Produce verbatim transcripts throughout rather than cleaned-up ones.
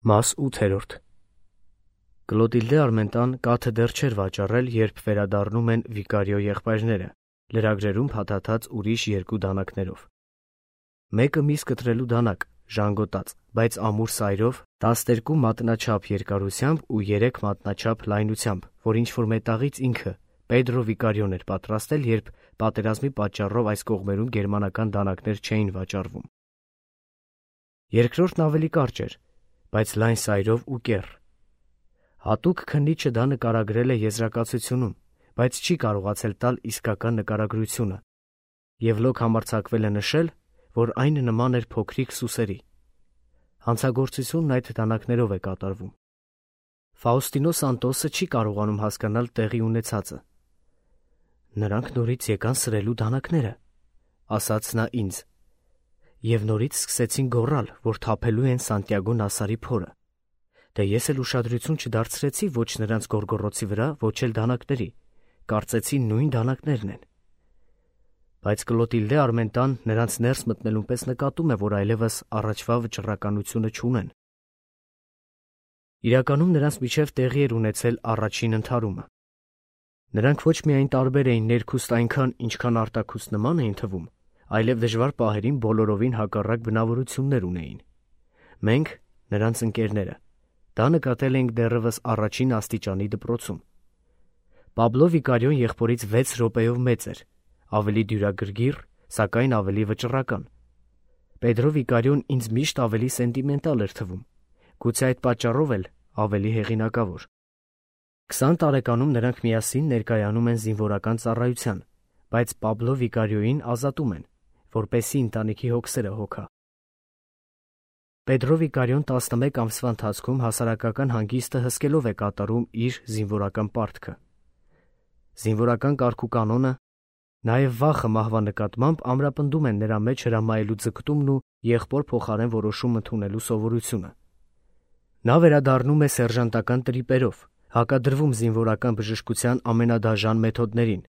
Մաս ութերորդ Կլոտիլդե Արմենտան կաթը դեռ չէր վաճառել, երբ վերադառնում են Վիկարիո եղբայրները, լրագրերում փաթաթած ուրիշ երկու դանակներով։ Մեկը միս կտրելու դանակ, ժանգոտած, բայց ամուր սայրով, տասներկու մատնաչափ երկարությամբ ու երեք մատնաչափ լայնությամբ, որ ինչ-որ մետաղից ինքը, Պեդրո Վիկարիոն էր պատրաստել, երբ պատերազմի պատճառով այս կողմերում գերմանական դանակներ չէին վաճառվում։ Երկրորդն ավելի կարճ էր, բայց լայն սայրով ու կեռ։ Հատուկ քննիչը դա նկարագրել է եզրակացությունում, բայց չի կարողացել տալ իսկական նկարագրությունը, և լոկ համարձակվել է նշել, որ այն նման էր փոքրիկ սուսերի։ Հանցագործությունն այդ դանակներով է կատարվում։ Ֆաուստինո Սանտոսը չի կարողանում հասկանալ տեղի ունեցածը։ «Նրանք նորից եկան սրելու դանակները», ասաց նա ինձ, և նորից սկսեցին գոռալ, որ թափելու են Սանտիագո Նասարի փորը։ Դե ես էլ ուշադրություն չդարձրեցի ոչ նրանց գոռգոռոցի վրա, ոչ էլ դանակների, կարծեցի նույն դանակներն են։ Բայց Կլոտիլդե Արմենտան նրանց ներս մտնելուն պես նկատում է, որ այլևս առաջվա վճռականությունը չունեն։ Իրականում նրանց միջև տեղի էր ունեցել առաջին ընդհարումը։ Նրանք ոչ միայն տարբեր էին ներքուստ այնքան, ինչքան արտաքուստ նման էին թվում, այլև դժվար պահերին բոլորովին հակառակ բնավորություններ ունեին։ Մենք, նրանց ընկերները, դա նկատել էինք դեռևս առաջին աստիճանի դպրոցում։ Պաբլո Վիկարիոն եղբորից վեց րոպեով մեծ էր, ավելի դյուրագրգիռ, սակայն ավելի վճռական։ Պեդրո Վիկարիոն ինձ միշտ ավելի սենտիմենտալ էր թվում, գուցե այդ պատճառով էլ ավելի հեղինակավոր։ Քսան տարեկանում նրանք միասին ներկայանում են զինվորական ծառայության, բայց Պաբլո Վիկարիոյին ազատում են, որպեսզի ընտանիքի հոգսերը հոգա։ Պեդրո Վիկարիոն տասնմեկ ամսվա ընթացքում հասարակական հանգիստը հսկելով է կատարում իր զինվորական պարտքը։ Զինվորական կարգուկանոնը, նաև վախը մահվա նկատմամբ ամրապնդում են նրա մեջ հրամայելու ձգտումն ու եղբոր փոխարեն որոշում ընդունելու սովորությունը։ Նա վերադառնում է սերժանտական տրիպերով, հակադրվում զինվորական բժշկության ամենադաժան մեթոդներին,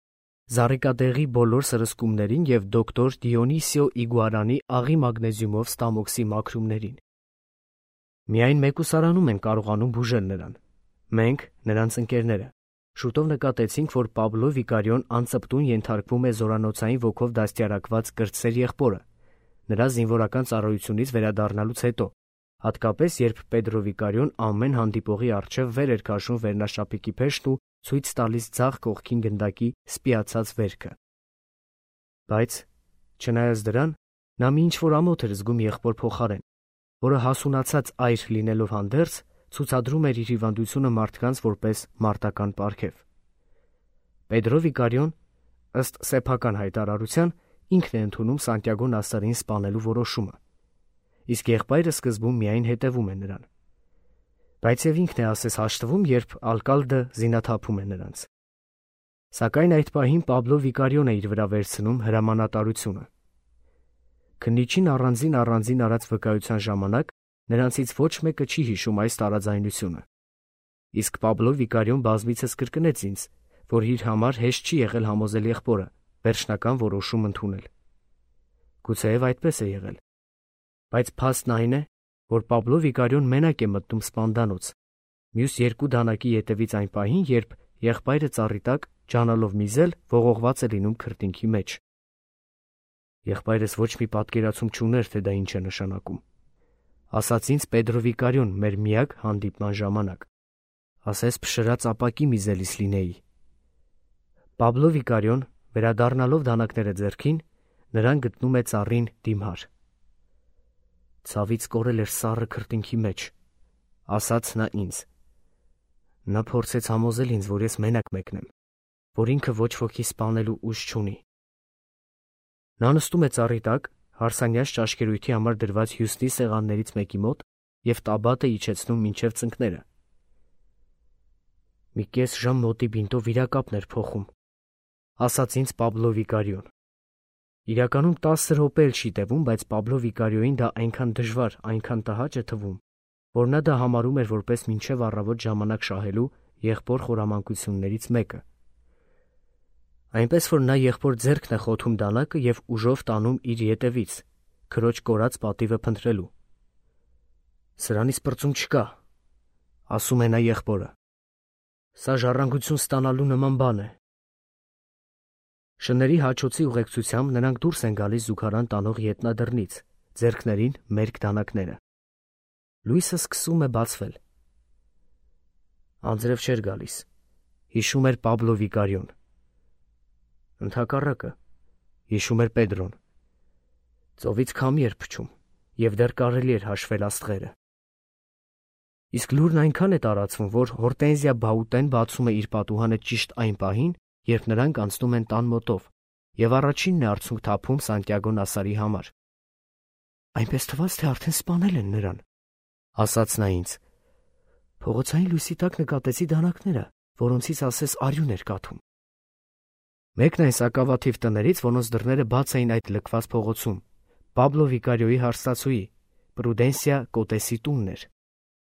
զառիկատեղի բոլոր սրսկումներին և դոկտոր Դիոնիսիո Իգուարանի աղի մագնեզիումով ստամոքսի մաքրումներին։ Միայն մեկուսարանում են կարողանում բուժել նրան։ Մենք, նրանց ընկերները, շուտով նկատեցինք, որ Պաբլո Վիկարիոն անծպտուն ենթարկվում է զորանոցային ոգով դաստիարակված կրտսեր եղբորը, նրա զինվորական ծառայությունից վերադառնալուց հետո, հատկապես երբ Պեդրո Վիկարիոն ամեն հանդիպողի առջև վեր էր քաշում վերնաշապիկի փեշտն ու ցույց տալիս ձախ կողքին գնդակի սպիացած վերքը։ Բայց, չնայած դրան, նա մի ինչ-որ ամոթ էր զգում եղբոր փոխարեն, որը հասունացած այր լինելով հանդերձ, ցուցադրում էր իր հիվանդությունը մարդկանց որպես մարտական պարգև։ Պեդրո Վիկարիոն, ըստ սեփական հայտարարության, ինքն է ընդունում Սանտիագո Նասարին սպանելու որոշումը, իսկ եղբայրը սկզբում միայն հետևում է նրան։ Բայց և ինքն է ասես հաշտվում, երբ ալկալդը զինաթափում է նրանց։ Սակայն այդ պահին Պաբլո Վիկարիոն է իր վրա վերցնում հրամանատարությունը։ Քննիչին առանձին առանձին արած վկայության ժամանակ նրանցից ոչ մեկը չի հիշում այս տարաձայնությունը։ Իսկ Պաբլո Վիկարիոն բազմիցս կրկնեց ինձ, որ իր համար հեշտ չի եղել համոզել եղբորը վերջնական որոշում ընդունել։ Գուցեև այդպես է եղել։ Բայց փաստն այն է, որ Պաբլո Վիկարիոն մենակ է մտնում սպանդանոց, մյուս երկու դանակի ետևից այն պահին, երբ եղբայրը ծառի տակ, ջանալով միզել, ողողված է լինում քրտինքի մեջ։ Եղբայրս ոչ մի պատկերացում չուներ, թե դա ինչ է նշանակում, ասաց ինձ Պեդրո Վիկարիոն մեր միակ հանդիպման ժամանակ, ասես փշրած ապակի միզելիս լինեի։ Պաբլո Վիկարիոն, վերադառնալով դանակները ձեռքին, նրան գտնում է ծառին դիմհար։ Ցավից կորել էր սառը քրտինքի մեջ, ասաց նա ինձ։ Նա փորձեց համոզել ինձ, որ ես մենակ մեկնեմ, որ ինքը ոչ ոքի սպանելու ուժ չունի։ Նա նստում է ծառի տակ, հարսանյաց ճաշկերույթի համար դրված հյուսնի սեղաններից մեկի մոտ և տաբատ է իջեցնում մինչև ծնկները։ Մի կես ժամ մոտի բինտով վիրակապն էր փոխում, ասաց ինձ Պաբլո Վիկարիոն։ Իրականում տասը րոպե էլ չի տևում, բայց Պաբլո Վիկարիոյին դա այնքան դժվար, այնքան տհաճ է թվում, որ նա դա համարում էր որպես մինչև առավոտ ժամանակ շահելու եղբոր խորամանկություններից մեկը։ Այնպես որ նա եղբոր ձեռքն է խոթում դանակը և ուժով տանում իր ետևից, քրոջ կորած պատիվը փնտրելու։ Սրանից պրծում չկա, ասում է նա եղբորը։ Սա ժառանգություն ստանալու նման բան է։ Շների հաչոցի ուղեկցությամբ նրանք դուրս են գալիս զուգարան տանող ետնադռնից, ձեռքներին մերկ դանակները։ Լույսը սկսում է բացվել։ Անձրև չէր գալիս, հիշում էր Պաբլո Վիկարիոն։ Ընդհակառակը, հիշում էր Պետրոն։ Ծովից քամի էր փչում, և դեռ կարելի էր հաշվել աստղերը։ Իսկ լուրն այնքան է տարածվում, որ Հորտենզիա Բաուտեն բացում է իր պատուհանը ճիշտ այն պահին, երբ նրանք անցնում են տան մոտով, և առաջինն է արցունք թափում Սանտիագո Նասարի համար։ Այնպես թվաց, թե արդեն սպանել են նրան, ասաց նա ինձ։ Փողոցային լույսի տակ նկատեցի դանակները, որոնցից ասես արյուն էր կաթում։ Մեկն այն սակավաթիվ տներից, որոնց դռները բաց էին այդ լքված փողոցում, Պաբլո Վիկարիոյի հարստացուի, Պրուդենսիա Կոտեսի տունն էր։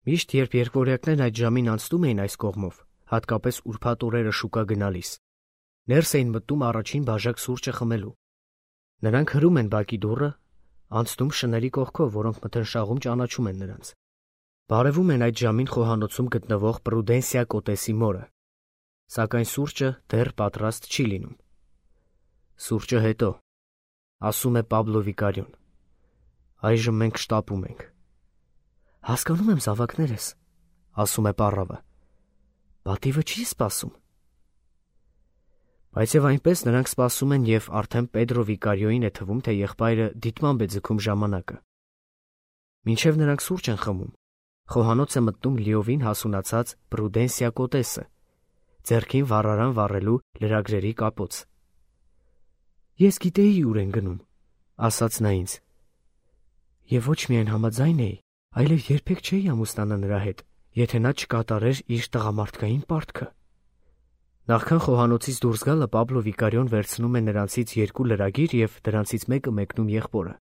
Միշտ երբ երկվորյակներն այդ ժամին անցնում էին այս կողմով, հատկապես ուրբաթ օրերը շուկա գնալիս, ներս էին մտնում առաջին բաժակ սուրճը խմելու։ Նրանք հրում են բակի դուռը, անցնում շների կողքով, որոնք մթնշաղում ճանաչում են նրանց։ Բարևում են այդ ժամին խոհանոցում գտնվող Պրուդենսիա Կոտեսի մորը, սակայն սուրճը դեռ պատրաստ չի լինում։ Սուրճը հետո, ասում է Պաբլո Վիկարիոն։ Այժմ մենք շտապում ենք։ Հասկանում եմ զավակներս, ասում է պառավը։ Պատիվը չի սպասում։ Բայց եւ այնպես նրանք սպասում են եւ արդեն Պետրո Վիկարիոյին է թվում, թե եղբայրը դիտմամբ է ձգում ժամանակը։ Մինչև նրանք սուրճ են խմում, խոհանոց է մտնում լիովին հասունացած Պրուդենսիա Կոտեսը, ձեռքին վառարան վառելու լրագրերի կապոց։ Ես գիտեի ուր են գնում, ասաց նա ինձ։ Եվ ոչ միայն համաձայն էի, այլև երբեք չէի ամուսնանա նրա հետ, եթե նա չկատարեր իր տղամարդկային պարտքը։ Նախքան խոհանոցից դուրս գալը Պաբլո Վիկարիոն վերցնում է նրանցից երկու լրագիր և դրանցից մեկը մեկնում եղբորը։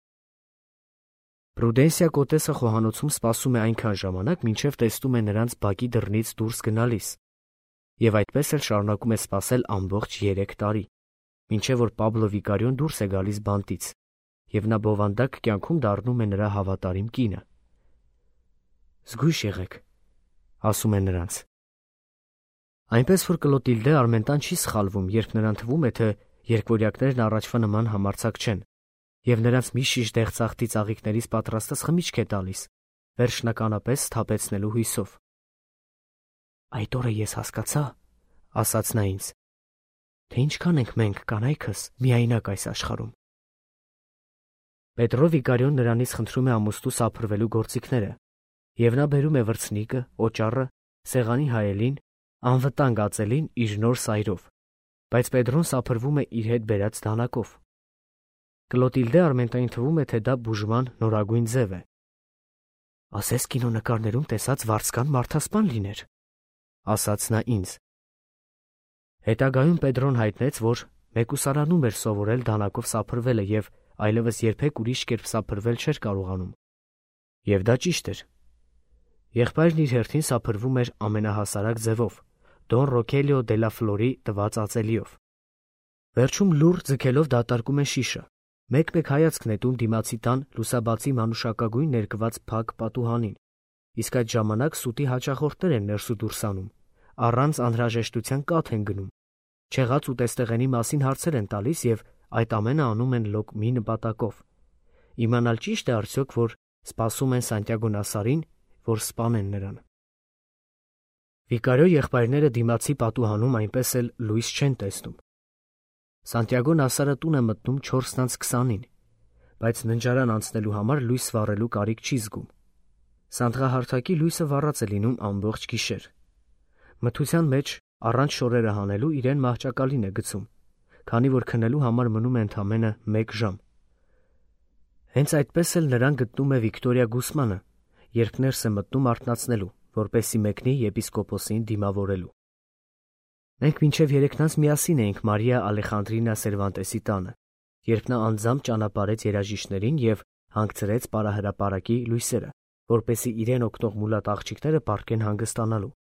Պրուդենսիա Կոտեսը խոհանոցում սպասում է այնքան ժամանակ, մինչև տեսնում է նրանց բակի դռնից դուրս գնալիս, և այդպես էլ շարունակում է սպասել ամբողջ երեք տարի, մինչև որ Պաբլո Վիկարիոն դուրս է գալիս բանտից, և նա բովանդակ կյանքում դառնում է նրա հավատարիմ կինը։ Զգույշ եղեք, ասում է նրանց։ Այնպես որ Կլոտիլդե Արմենտան չի սխալվում, երբ նրան թվում է, թե երկվորյակներն առաջվա նման համարձակ չեն, և նրանց մի շիշ դեղձախտի ծաղիկներից պատրաստած խմիչք է տալիս, վերջնականապես սթափեցնելու հույսով։ Այդ օրը ես հասկացա, ասաց նա ինձ, թե ինչքան ենք մենք կանայքս միայնակ այս աշխարհում։ Պետրո Վիկարիոն նրանից խնդրում է ամուսնու սափրվելու գործիքները, և նա բերում է վրձնիկը, օճառը, սեղանի հայելին, անվտանգ ածելին իր նոր սայրով, բայց Պետրոն սափրվում է իր հետ բերած դանակով։ Կլոտիլդե Արմենտային թվում է, թե դա բուժման նորագույն ձև է։ Ասես կինոնկարներում տեսած վարձկան մարդասպան լիներ, ասաց նա ինձ։ Հետագայում Պետրոն հայտնեց, որ մեկուսարանում էր սովորել դանակով սափրվելը և այլևս երբեք ուրիշ կերպ սափրվել չէր կարողանում։ Եվ դա ճիշտ էր։ Եղբայրն իր հերթին սափրվում էր ամենահասարակ ձևով, Դոն Ռոքելիո դե լա Ֆլորի տված ածելիով։ Վերջում լուռ ձգելով դատարկում է շիշը, մեկ-մեկ հայացք նետում դիմացի տան լուսաբացի մանուշակագույն ներկված փակ պատուհանին, իսկ այդ ժամանակ սուտի հաճախորդներ են ներս ու դուրս անում, առանց անհրաժեշտության կաթ են գնում, չեղած ուտեստեղենի մասին հարցեր են տալիս և այդ ամենը անում են լոկ մի նպատակով՝ իմանալ ճիշտ է արդյոք, որ սպասում են Սանտիագո Նասարին, որ սպանեն նրան։ Վիկարիո եղբայրները դիմացի պատուհանում այնպես էլ լույս չեն տեսնում։ Սանտիագո Նասարը տուն է մտնում չորսն անց քսանին, բայց ննջարան անցնելու համար լույս վառելու կարիք չի զգում։ Սանդղահարթակի լույսը վառած է լինում ամբողջ գիշեր։ Մթության մեջ, առանց շորերը հանելու, իրեն մահճակալին է գցում, քանի որ քնելու համար մնում է ընդամենը մեկ ժամ։ Հենց այդպես էլ նրան գտնում է Վիկտորիա Գուսմանը, երբ ներս է մտնում արթնացնելու, որպեսզի մեկնի եպիսկոպոսին դիմավորելու։ Մենք մինչև երեքնանց միասին էինք Մարիա Ալեխանդրինա Սերվանտեսի տանը, երբ նա անձամբ ճանապարհեց երաժիշտներին և հանգցրեց պարահրապարակի լույսերը, որպեսզի իրեն օգնող մուլատ աղջիկները պառկեն հանգստանալու։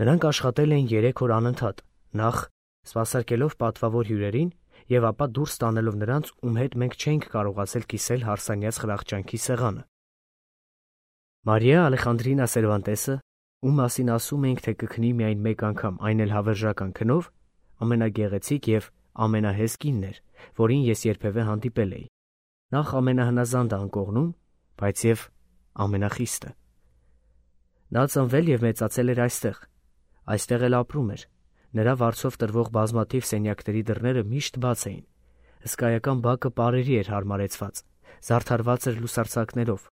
Նրանք աշխատել էին երեք օր անընդհատ, նախ սպասարկելով պատվավոր հյուրերին և ապա դուրս տանելով նրանց, ում հետ մենք չէինք կարողացել կիսել հարսանյաց խրախճանքի սեղանը։ Մարիա Ալեխանդրինա Սերվանտեսը, ում մասին ասում էինք, թե կքնի միայն մեկ անգամ, այն էլ հավերժական քնով, ամենագեղեցիկ և ամենահեզ կինն էր, որին ես երբևէ հանդիպել էի, նախ ամենահնազանդը անկողնում, բայց և ամենախիստը։ Նա ծնվել և մեծացել էր այստեղ, այստեղ էլ ապրում էր, նրա վարձով տրվող բազմաթիվ սենյակների դռները միշտ բաց էին, հսկայական բակը պարերի էր հարմարեցված, զարդարված էր լուսարձակներով,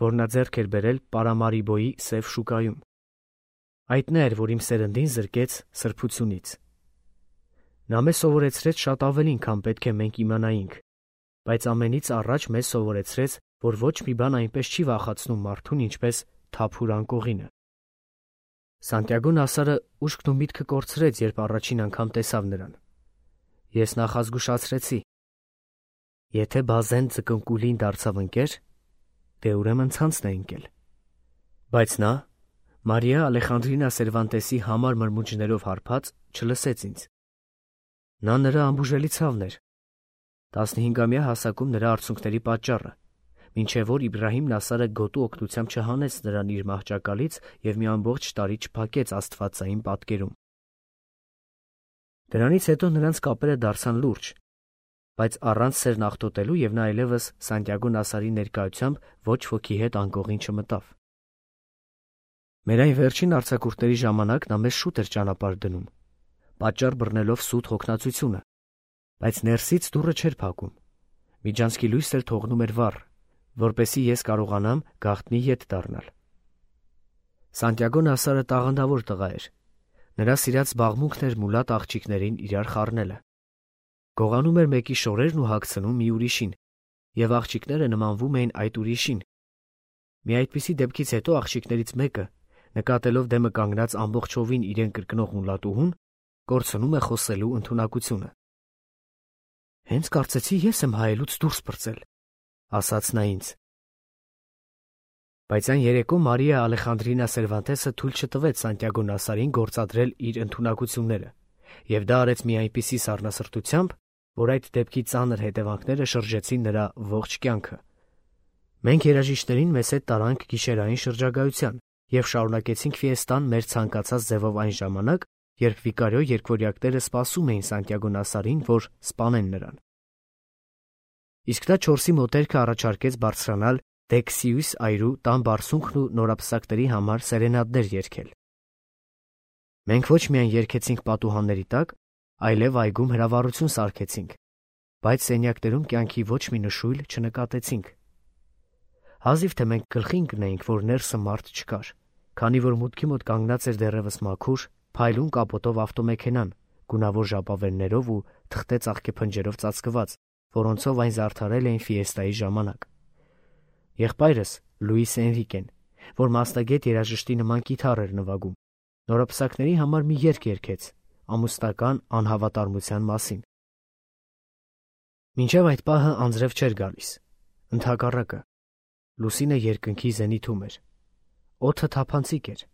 որ նա ձեռք էր բերել Պարամարիբոյի սև շուկայում։ Այդ նա էր, որ իմ սերնդին զրկեց սրբությունից։ Նա մեզ սովորեցրեց շատ ավելին, քան պետք է մենք իմանայինք, բայց ամենից առաջ մեզ սովորեցրեց, որ ոչ մի բան այնպես չի վախեցնում մարդուն, ինչպես թափուր անկողինը։ Սանտիագո Նասարը ուշքն ու միտքը կորցրեց, երբ առաջին անգամ տեսավ նրան։ Ես նախազգուշացրեցի. եթե բազեն ձկնկուլին դարձավ ընկեր, դե ուրեմն ցանցն է ընկել։ Բայց նա, Մարիա Ալեխանդրինա Սերվանտեսի համար մրմունջներով հարբած, չլսեց ինձ։ Նա նրա ամբուժելի ցավն էր, տասնհինգամյա հասակում նրա արցունքների պատճառը, մինչև որ Իբրահիմ Նասարը գոտու օգնությամբ չհանեց նրան իր մահճակալից և մի ամբողջ տարի չփակեց աստվածային պատկերում։ Դրանից հետո նրանց կապերը դարձան լուրջ, բայց առանց սերն աղտոտելու, և նա այլևս Սանտիագո Նասարի ներկայությամբ ոչ ոքի հետ անկողին չմտավ։ Մեր այն վերջին արձակուրդների ժամանակ նա մեզ շուտ էր ճանապարհ դնում, պատճառ բռնելով սուտ հոգնածությունը, բայց ներսից դուռը չէր փակում, միջանցքի լույս էր թողնում էր վառ, որպեսզի ես կարողանամ գաղտնի ետ դառնալ։ Սանտիագո Նասարը տաղանդավոր տղա էր, նրա սիրած զբաղմունքն էր մուլատ աղջիկներին իրար խառնելը։ Գողանում էր մեկի շորերն ու հագցնում մի ուրիշին, և աղջիկները նմանվում էին այդ ուրիշին։ Մի այդպիսի դեպքից հետո աղջիկներից մեկը, նկատելով դեմը կանգնած ամբողջովին իրեն կրկնող մուլատուհուն, կորցնում է խոսելու ընդունակությունը։ «Հենց կարծեցի ես եմ հայելուց դուրս պրծել», ասաց նա ինձ։ Բայց այն երեկո Մարիա Ալեխանդրինա Սերվանտեսը թույլ չտվեց Սանտիագո Նասարին գործադրել իր ընդունակությունները, և դա արեց մի այնպիսի սառնասրտությամբ, որ այդ դեպքի ծանր հետևանքները շրջեցին նրա ողջ կյանքը։ Մենք երաժիշտներին մեզ հետ տարանք գիշերային շրջագայության և շարունակեցինք ֆիեստան մեր ցանկացած ձևով այն ժամանակ, երբ վիկարիո երգվորյակները սպասում էին Սանտիագո Նասարին, որ սպանեն նրան։ Իսկ նա չորսի մոտերքը առաջարկեց բարձրանալ Դեքսիուս այրու տան բարձունքն ու նորապսակների համար սերենադներ երգել։ Մենք ոչ միայն երգեցինք պատուհանների տակ, այլև այգում հրավառություն սարքեցինք, բայց սենյակներում կյանքի ոչ մի նշույլ չնկատեցինք։ Հազիվ թե մենք գլխի ընկնեինք, որ ներսը մարդ չկար, քանի որ մուտքի մոտ կանգնած էր դեռևս մաքուր, փայլուն կապոտով ավտոմեքենան, գունավոր ժապավեններով ու թղթե ծաղկե փնջերով ծածկված, որոնցով այն զարդարել էին ֆիեստայի ժամանակ։ Եղբայրս Լուիս Էնրիկեն, որ մասնագետ երաժշտի նման կիթառ էր նվագում, նորապսակների համար մի երգ երգեց ամուսնական անհավատարմության մասին։ Մինչև այդ պահը անձրև չէր գալիս, ընդհակառակը, լուսինը երկնքի զենիթում էր, օդը թափանցիկ էր,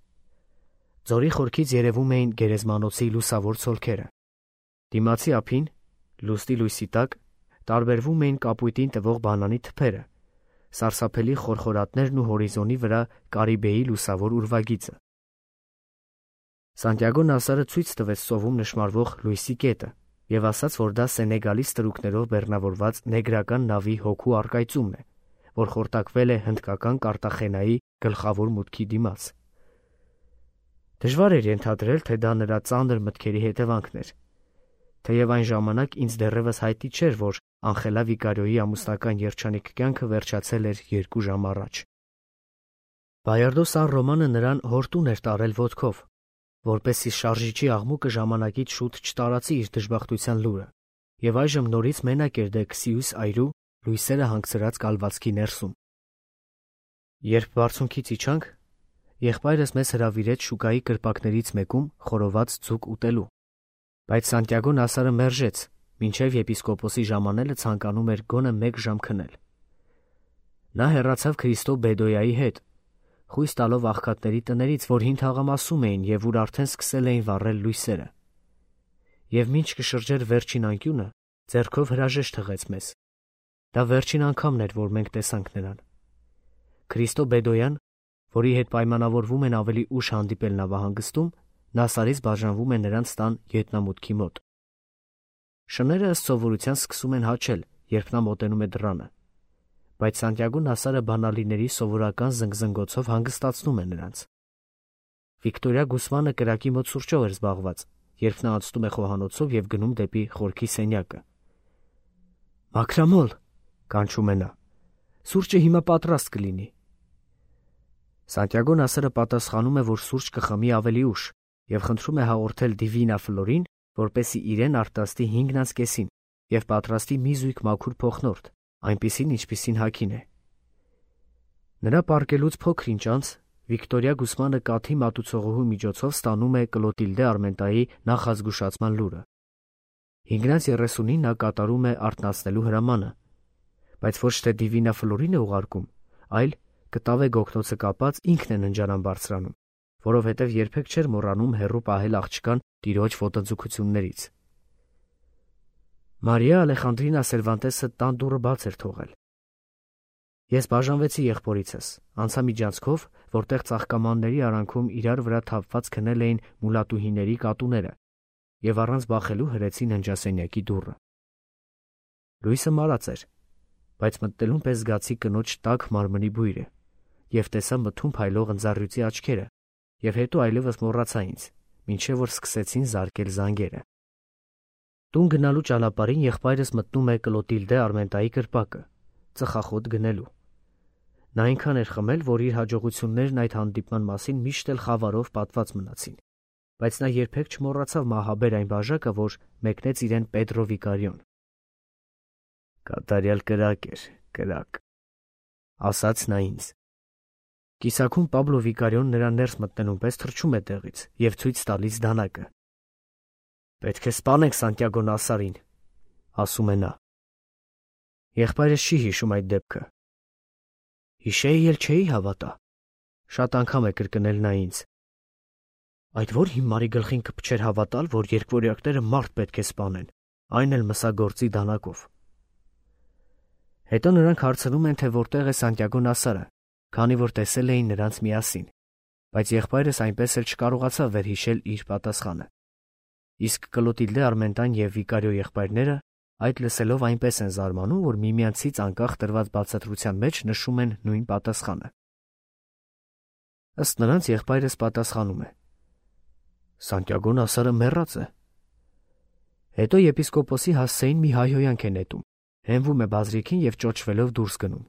ձորի խորքից երևում էին գերեզմանոցի լուսավոր ցոլքերը, դիմացի ափին, լուսնի լույսի տակ, տարբերվում էին կապույտին տվող բանանի թփերը, սարսափելի խորխորատներն ու հորիզոնի վրա Կարիբեի լուսավոր ուրվագիծը։ Սանտիագո Նասարը ցույց տվեց ծովում նշմարվող լույսի կետը և ասաց, որ դա Սենեգալի ստրուկներով բեռնավորված նեգրական նավի հոգու առկայծումն է, որ խորտակվել է հնդկական Կարտախենայի գլխավոր մուտքի դիմաց։ Դժվար էր ենթադրել, թե դա նրա ծանր մտքերի հետևանքն էր, թեև այն ժամանակ ինձ դեռևս հայտնի չէր, որ Անխելա Վիկարիոյի ամուսնական երջանիկ կյանքը վերջացել էր երկու ժամ առաջ։ Բայարդո Սան Ռոմանը նրան հորտուն էր տարել ոտքով, որպեսզի շարժիչի աղմուկը ժամանակից շուտ չտարածի իր դժբախտության լուրը, և այժմ նորից մենակ էր Դեքսիուս այրու լույսերը հանգցրած կալվածքի ներսում։ Երբ բարձունքից իջանք, եղբայրս մեզ հրավիրեց շուկայի կրպակներից մեկում խորոված ձուկ ուտելու, բայց Սանտիագո Նասարը մերժեց, մինչև եպիսկոպոսի ժամանելը ցանկանում էր գոնե մեկ ժամ քնել։ Նա հեռացավ Քրիստո Բեդոյայի հետ, խույս տալով աղքատների տներից, որ հին թաղամասում էին և ուր արդեն սկսել էին վառել լույսերը։ Եվ մինչ կշրջեր վերջին անկյունը, ձեռքով հրաժեշտ հղեց մեզ։ Դա վերջին անգամն էր, որ մենք տեսանք նրան։ Քրիստո Բեդոյան որի հետ պայմանավորվում են ավելի ուշ հանդիպել նավահանգստում, Նասարից բաժանվում է նրանց տան գետնամուտքի մոտ։ Շները ըստ սովորության սկսում են հաչել, երբ նա մոտենում է դռանը, բայց Սանտիագո Նասարը բանալիների սովորական զնգզնգոցով հանգստացնում է նրանց։ Վիկտորիա Գուսմանը կրակի մոտ սուրճով էր զբաղված, երբ նա անցնում է խոհանոցով և գնում դեպի խորքի սենյակը։ «Մաքրամոլ», կանչում է նա, «սուրճը հիմա պատրաստ կլինի»։ Սանտիագո Նասարը պատասխանում է, որ սուրճ կխմի ավելի ուշ և խնդրում է հաղորդել Դիվինա Ֆլորին, որպեսզի իրեն արտասթի հինգն անց կեսին և պատրաստի մի զույգ մաքուր փոխնորդ, այնպիսին, ինչպիսին հագին է։ Նրա պառկելուց փոքր ինչ անց Վիկտորիա Գուսմանը կաթի մատուցողուհու միջոցով ստանում է Կլոտիլդե Արմենտայի նախազգուշացման լուրը։ հինգն անց երեսունին նա կատարում է արթնացնելու հրամանը, բայց ոչ թե Դիվինա Ֆլորին է ուղարկում, այլ կտավե գոգնոցը կապած ինքն է ննջարան բարձրանում, որովհետև երբեք չէր մոռանում հեռու պահել աղջկան տիրոջ ոտնձգություններից։ Մարիա Ալեխանդրինա Սերվանտեսը տան դուռը բաց էր թողել։ Ես բաժանվեցի եղբորիցս, անցա միջանցքով, որտեղ ծաղկամանների արանքում իրար վրա թափված քնել էին մուլատուհիների կատուները, և առանց բախելու հրեցի ննջասենյակի դուռը։ Լույսը մարած էր, բայց մտնելուն պես զգացի կնոջ տաք մարմնի բույրը և տեսա մթում փայլող ընձառյուծի աչքերը, և հետո այլևս մոռացա ինձ, մինչև որ սկսեցին զարկել զանգերը։ Տուն գնալու ճանապարհին եղբայրս մտնում է Կլոտիլդե Արմենտայի կրպակը, ծխախոտ գնելու։ Նա այնքան էր խմել, որ իր հաջողություններն այդ հանդիպման մասին միշտ էլ խավարով պատված մնացին, բայց նա երբեք չմոռացավ մահաբեր այն բաժակը, որ մեկնեց իրեն Պետրո Վիկարիոն։ «Կատարյալ կրակ էր, կրակ», ասաց նա ինձ։ Կիսակում Պաբլո Վիկարիոն նրա ներս մտնելուն պես թռչում է տեղից և ցույց տալիս դանակը։ «Պետք է սպանենք Սանտիագո Նասարին», ասում է նա։ Եղբայրս չի հիշում այդ դեպքը։ «Հիշեի էլ չէի հավատա», շատ անգամ է կրկնել նա ինձ։ Այդ որ հիմարի գլխին կփչեր հավատալ, որ երկվորյակները մարդ պետք է սպանեն, այն էլ մսագործի դանակով։ Հետո նրանք հարցնում են, թե որտեղ է Սանտիագո Նասարը, քանի որ տեսել էին նրանց միասին, բայց եղբայրս այնպես էլ չկարողացավ վերհիշել իր պատասխանը։ Իսկ Կլոտիլդե Արմենտան և Վիկարիո եղբայրները այդ լսելով այնպես են զարմանում, որ միմյանցից անկախ տրված բացատրության մեջ նշում են նույն պատասխանը։ Ըստ նրանց եղբայրս պատասխանում է. «Սանտիագո Նասարը մեռած է»։ Հետո եպիսկոպոսի հասցեին մի հայհոյանք է նետում, հենվում է բազրիքին և ճոճվելով դուրս գնում։